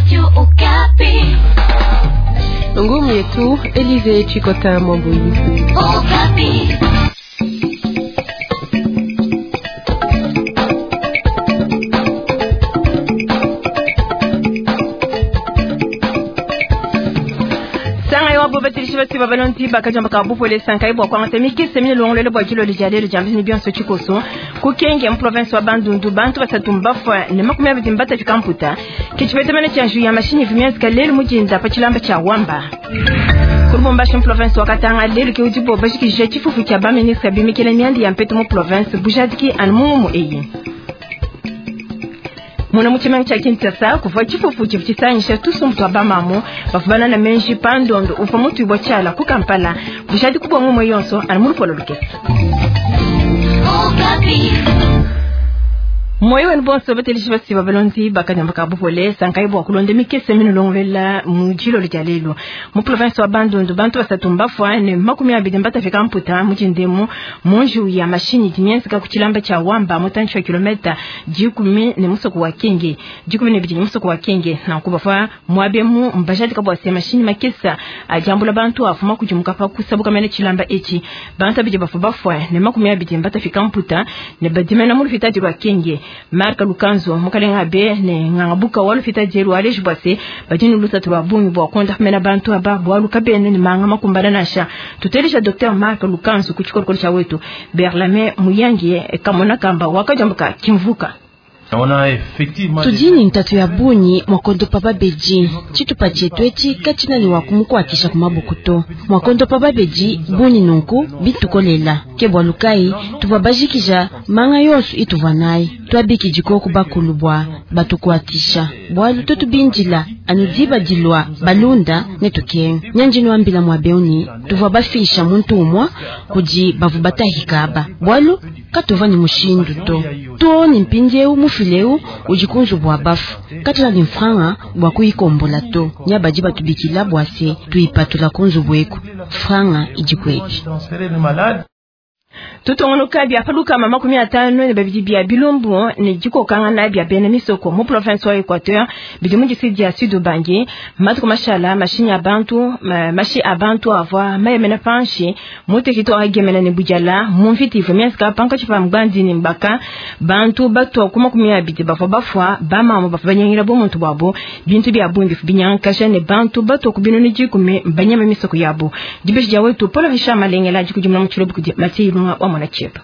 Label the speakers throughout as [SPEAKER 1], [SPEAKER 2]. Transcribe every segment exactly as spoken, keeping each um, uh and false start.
[SPEAKER 1] Radio Okapi.
[SPEAKER 2] Ngumu yetu Elize Chikota Mwambuyi.
[SPEAKER 1] Okapi.
[SPEAKER 3] Sanga wabo batilishi basi babalonti bakajamba ka bupole sankai bwa kwangata mikese mine longolele bwa jilo lijalelo jambi ni bionso chikoso kukenge mu province wa Bandundu bantu basatu mbafwa ne makumi abiri mbata chikamputa kichipete mene cha nju ya mashini vimyanzika lelo mujinda pa chilamba cha wamba kulubumbashi mu province wa Katanga lelo ke udibo bashikije chifufu cha ba ministre bimikele myandi ya mpeto mu province bujadiki anu mumu eyi muna muchimanyi cha Kinshasa kuva chifufu chifu chisanyisha tusumbu twa bamamu bafubana na menji pandondo ufa mutu ibwa chala ku Kampala bushadi kubwa ngumwe yonso ani mulupolo lukesa
[SPEAKER 1] Okapi.
[SPEAKER 3] Moyo wenu bonso batelishi basi balonzi bakanyamba ka bupole sankai bwa kulonde mikese mino longwela mujilo lya mu province wa Bandundu bantu basatu mbafwa ne makumi abiri mbatafika mputa mujindemu munju ya mashini dimyenzika ku chilamba cha wamba mutanchi wa kilomita jikumi ne musoko wa Kenge jikumi ne bidi musoko wa Kenge na kubafa mwabemu mbashati kabwa se mashini makesa ajambula bantu afuma kujimuka pa kusabuka mene chilamba echi bantu abidi bafu bafwa ne makumi abiri mbatafika mputa ne badimena mu lufitadi lwa Kenge Marka Lukanzo mukalenga be ne ngangabuka walufita jeru aleji bwase bajini lusatu lwa bungi bwa konda mena bantu aba bwa lukabene ni manga makumbana nasha tutelisha Docteur Marka Lukanzo kuchikorokoro cha wetu Berlame Muyangi kamona kamba wakajambuka kimvuka
[SPEAKER 4] tudini ntatu ya bunyi mwakondo pa beji chitupa chetu echi kachina ni wakumukwakisha kumabukuto mwakondo pa beji bunyi nunku bitukolela ke bwa lukai tuvwa bajikija manga yonso ituvwa naye twabiki jikoku bakulu bwa batukuatisha bwalu totubinjila anu diba dilwa balunda ne tukenga nyanji nwambila mwa beuni tuvwa bafisha muntu umwa kudi bavu batahikaba bwalu katuva ni mushindu to to ni mpindieu mufileu ujikunzu bwa bafu katula ni mfranga bwa kuikombola to nyabadi batubikila bwase tuipatula kunzu bweku franga ijikweki
[SPEAKER 3] tutongonoka bya paluka mama makumi atano ne babidi bya bilumbu ne jikokanga na bya bene misoko mu province wa Equateur bidi mu district ya Sud Ubangi matuko mashala mashinya abantu ma, mashi abantu avwa mayemena panshi mu territoire agemena ne bujala mu mviti vomyanska panka chipa mgbandi ne mbaka bantu batwa kuma makumi abidi bafwa bafwa bamama bafwa banyangira bo muntu bwabo bintu bya bundi binyankasha ne bantu batwa kubino ne jikume banyama misoko yabo dibeshi ja wetu Paul Richard Malengela jikujumla mu chilobu kudi mati wa mwana chepa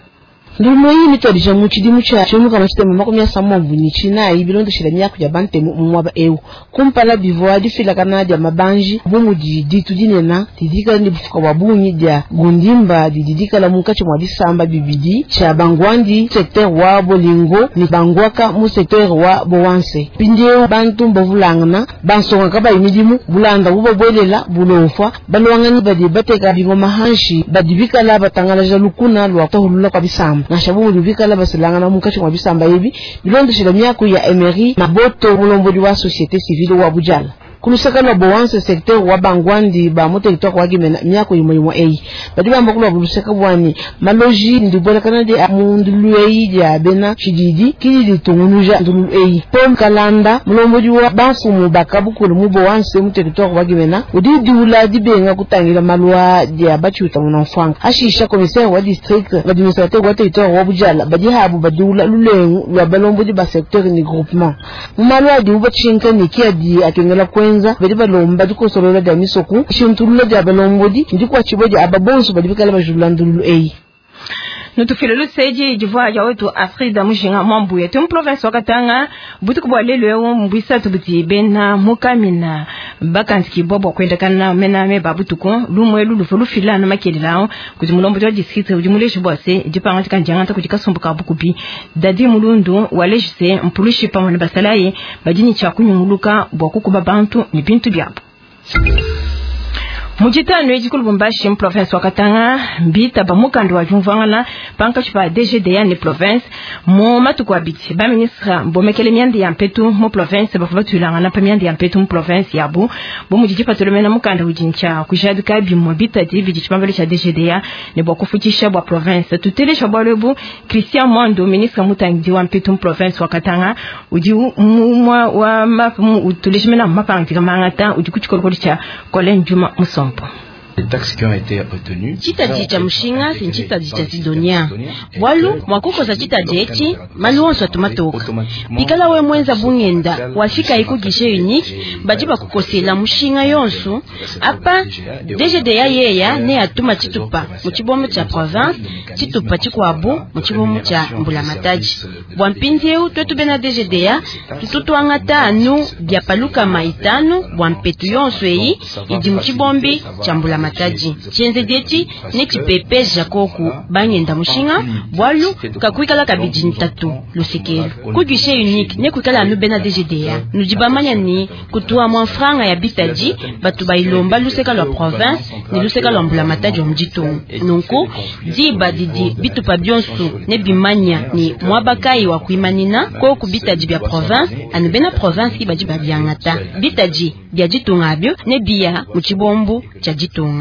[SPEAKER 5] Ndimo iyi mitwalija mu tshidimu tshia tshimuka mashitema makumi asambo ni tshinayi bilondeshela miaku ya bantemu mu mwaba eu kumpala bivua difilakana dia mabanji bu mudi ditu dinena didikala ne bufuka bwa bungi dia gundimba dididikala munkatshi mua bisamba bibidi tshia bangwandi secteur wa bolingo ni bangwaka mu secteur wa bowanse mpindieu bantu mbavulangana bansongaka bayi midimu bulanda bubabwelela bulofwa balwangani badi bateka bingoma hanshi badi bikala batangalaja lukuna lwa tahulula kwa bisamba nasha bumudi bikala basilangana munkatshi mwa bisamba ebi bilondeshela miaku ya Emery Maboto mulombodi wa société civile wa Bujala kulusaka lwa bowanse secteur wa bangwandi ba mu territoire wa Gemena miaku yimwe yimwe eyi badi bamba kulwa bulusaka bwani maloji ndibwelakana de mundulu eyi dia bena tshididi kidi ditungunuja ndulu eyi Paul Kalanda mulombodi wa banfumu bakabukulu mu bowanse mu territoire wa Gemena udi diula dibenga kutangila malwa dia batshiuta munamfwanga ashisha commissaire wa district administrateur wa territoire wa Bujala badi habu badiula lulengu lwa balombodi ba secteur ni groupement mu malwa adi ubatshinka ni kiadi akengela kwenza badi balomba dikosolola dia misoku shintulula dia balombodi ndikwatshibwa dia aba bonso badi bikala bajulula ndululu eyi
[SPEAKER 3] nutufile luseji jivua ya wetu Afrida Mujinga Mwambuye tu province wa Katanga butuku bwa lelo eu mbwisatu buti bena mukamina bakanziki bwa kwenda kana mena me babutuku lumwe lulufu lufila na makelelao kuti mulombo wa district udi muleshi bwase dipanga tikanjanga kuti kasumbuka bukubi dadi mulundu walejise mpulushi pamwe na basalaye badini cha kunyunguluka bwa kukuba bantu ni bintu byabo. Mujitano edi ku Lubumbashi mu province wa Katanga mbita ba mukanda wa jumvangana pankashi pa D G D A ne province mu matuku abidi ba ministre bomekele mianda ya mpetu mu province bavua batulangana pa mianda ya mpetu mu province yabo bo mujiji patolomena mukanda ujincha kujadika bimwe bitadi bidi tshibambalo tsha D G D A ne bwa kufutisha bwa province tutelesha bwalebu Christian Mwando ministre mutangidi wa mpetu mu province wa Katanga udi mumwa wa mapu utuleshimena mapangika mangata udi kuchikolokolo cha Colin Juma Musompo.
[SPEAKER 4] Chitadi cha mushinga sinchitadi cha Sidonia bwalu mwakukosa chitadi echi malu onso atumatoka pikala we mwenza bungenda wafika iku guichet unique badi bakukosela mushinga yonso apa D G D A yeya ne atuma chitupa mu chibombo cha province chitupa chikwabu mu chibombo cha Mbulamatadi bwa mpindieu twetu bena D G D A tututwangata anu bya paluka maitano bwa mpetu yonso eyi idi mu chibombi cha Mbulamatadi chenze dieti ne chipepe jakoku bangenda mushinga bwalu kakuikala kabidi ntatu lusekelo ku guichet unique ne kuikala anu bena D G D A nudibamanya ni kutua mwa franga ya bitadi batu bailomba luseka lwa province ni luseka lwa Mbulamatadi wa mjitungu nunku diba didi bitupa bionso ne bimanya ni mwabakai wa kuimanina koku bitadi bya province anu bena province ibadi babiangata bitadi bya ditunga abyo ne biya mu chibombu cha ditunga.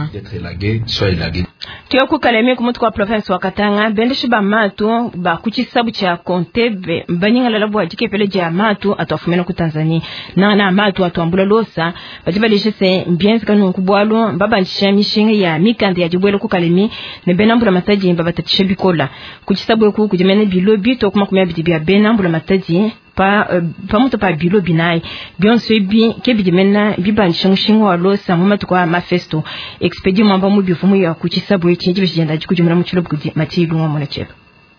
[SPEAKER 3] Tuya kukalemi kumutu kwa province wa Katanga bendeshi ba matu ba kuchisabu cha Kontebe banyinga bwa jikepele ja matu atwafumena ku Tanzania na na matu atwambula losa bajibalishe se mbienzi kanu kubwalo mbaba mishinga ya mikanda ya jibwele kukalemi ne benambula mataji mbaba tatishe bikola kuchisabu ku kujimene bilo bito kuma kumya bidibya benambula mataji pa uh, pamuto pa bilo binai bionso bi ke bidimena bibanisha mushinga wa losa mu matuko mafesto expedi mwamba mu bivumu ya kuchisabu echi jibijenda jikujumira mu chilo bukudi matilu mwa mwana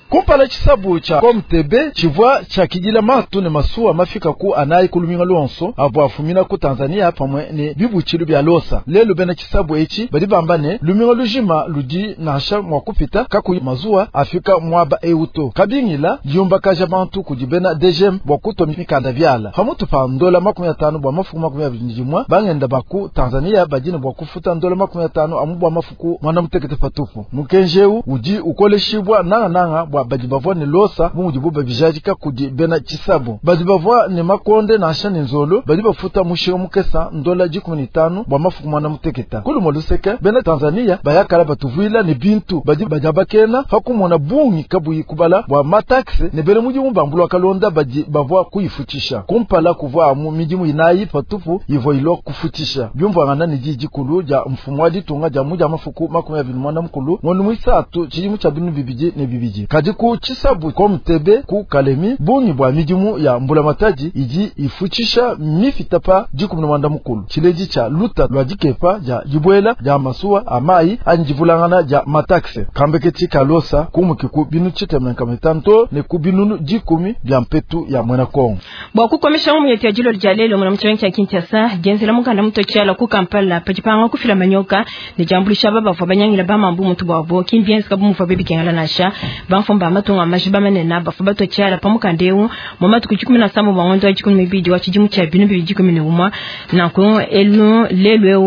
[SPEAKER 6] kumpala chisabu cha Komtebe chivwa cha kijila matu ne masuwa mafika ku anayi kuluminga lonso abo afumina ku Tanzania pamwe ne bibuchilu bya losa lelo bena chisabu echi bali bambane luminga lujima ludi nasha mwa kupita kaku mazuwa afika mwaba euto kabingila yumba kaja bantu kujibena D G M bwa kuto mikanda vyala pamutu pa ndola makumi atano bwa mafuku makumi abiri jimwa bangenda baku Tanzania bajina bwa kufuta ndola makumi atano amu bwa mafuku mwana mutekete patupu mukenjeu uji ukoleshibwa nanga nanga bwa badi bavwa ne losa bumudi buba bijajika kudi bena chisabu badi bavwa ne makonde na ashani nzolo badi bafuta mushinga mukesa ndola jikumi nitano bwa mafuku mwana muteketa kulu moluseke bena Tanzania bayakala batuvuila ne bintu badi bajabakena hakumona bungi kabuyi kubala bwa mataxe ne bele mudimu bambulwa kalonda badi bavwa kuyifutisha kumpala kuvwa mu midimu inayi patupu ivo ilo kufutisha byumvangana ne jijikulu ja mfumu wa ditunga ja muja mafuku makumi abiri mwana mukulu ngono mwisatu chijimu cha binu bibiji ne bibiji kadi ku chisabu Komtebe ku Kalemi bungi bwa midimu ya Mbulamatadi iji ifuchisha mifitapa jikumi na mwanda mukulu chileji cha luta lwa jikepa ja jibwela ja masuwa amayi anjivulangana ja mataxe kambeketi kalosa kumukiku binu chitemenka mitanto ne ku binunu jikumi bya mpetu ya mwana Kongo
[SPEAKER 3] bwa kukomesha mu yeti ajilo ljalelo mwana mchenga cha Kinshasa genzela mukanda mutochala ku Kampala pachipanga kufila manyoka ne jambulisha baba bava banyangila ba mambu mutu bwabo kimbienzi kabu mufa bebi kengala nasha bamfumba matunga majiba manena bafa batochala pamukandeu mu matuku chikumi na sambo bangondo chikumi mibidi wa chijimu cha binu bibidi chikumi ne umwa na ko elu lelwe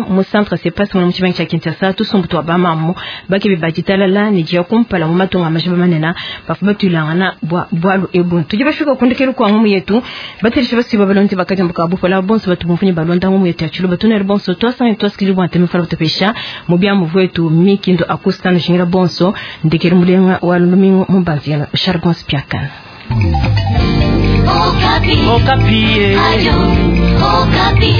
[SPEAKER 3] mu centre se passe mwana mchenga cha Kinshasa tusumbu ba mamu bake bibajitala ne jia kumpala mu matunga majiba manena bafa batulangana bwa bwalu ebu tuje bashika kundikelu kwa ngumu yetu batirisha basiba balonzi bakati mbuka bufola bonso batubumfunye balonda ngumu yetu ya chulu batunere bonso twasanga twasikili bwa ntemi fala batopesha mu bya muvwetu mikindo akustano shingira bonso ndekere mulenga wa lumingo mumbanzi Charbon Spiakan.
[SPEAKER 1] Okapi. Okapi. Ayo, Okapi.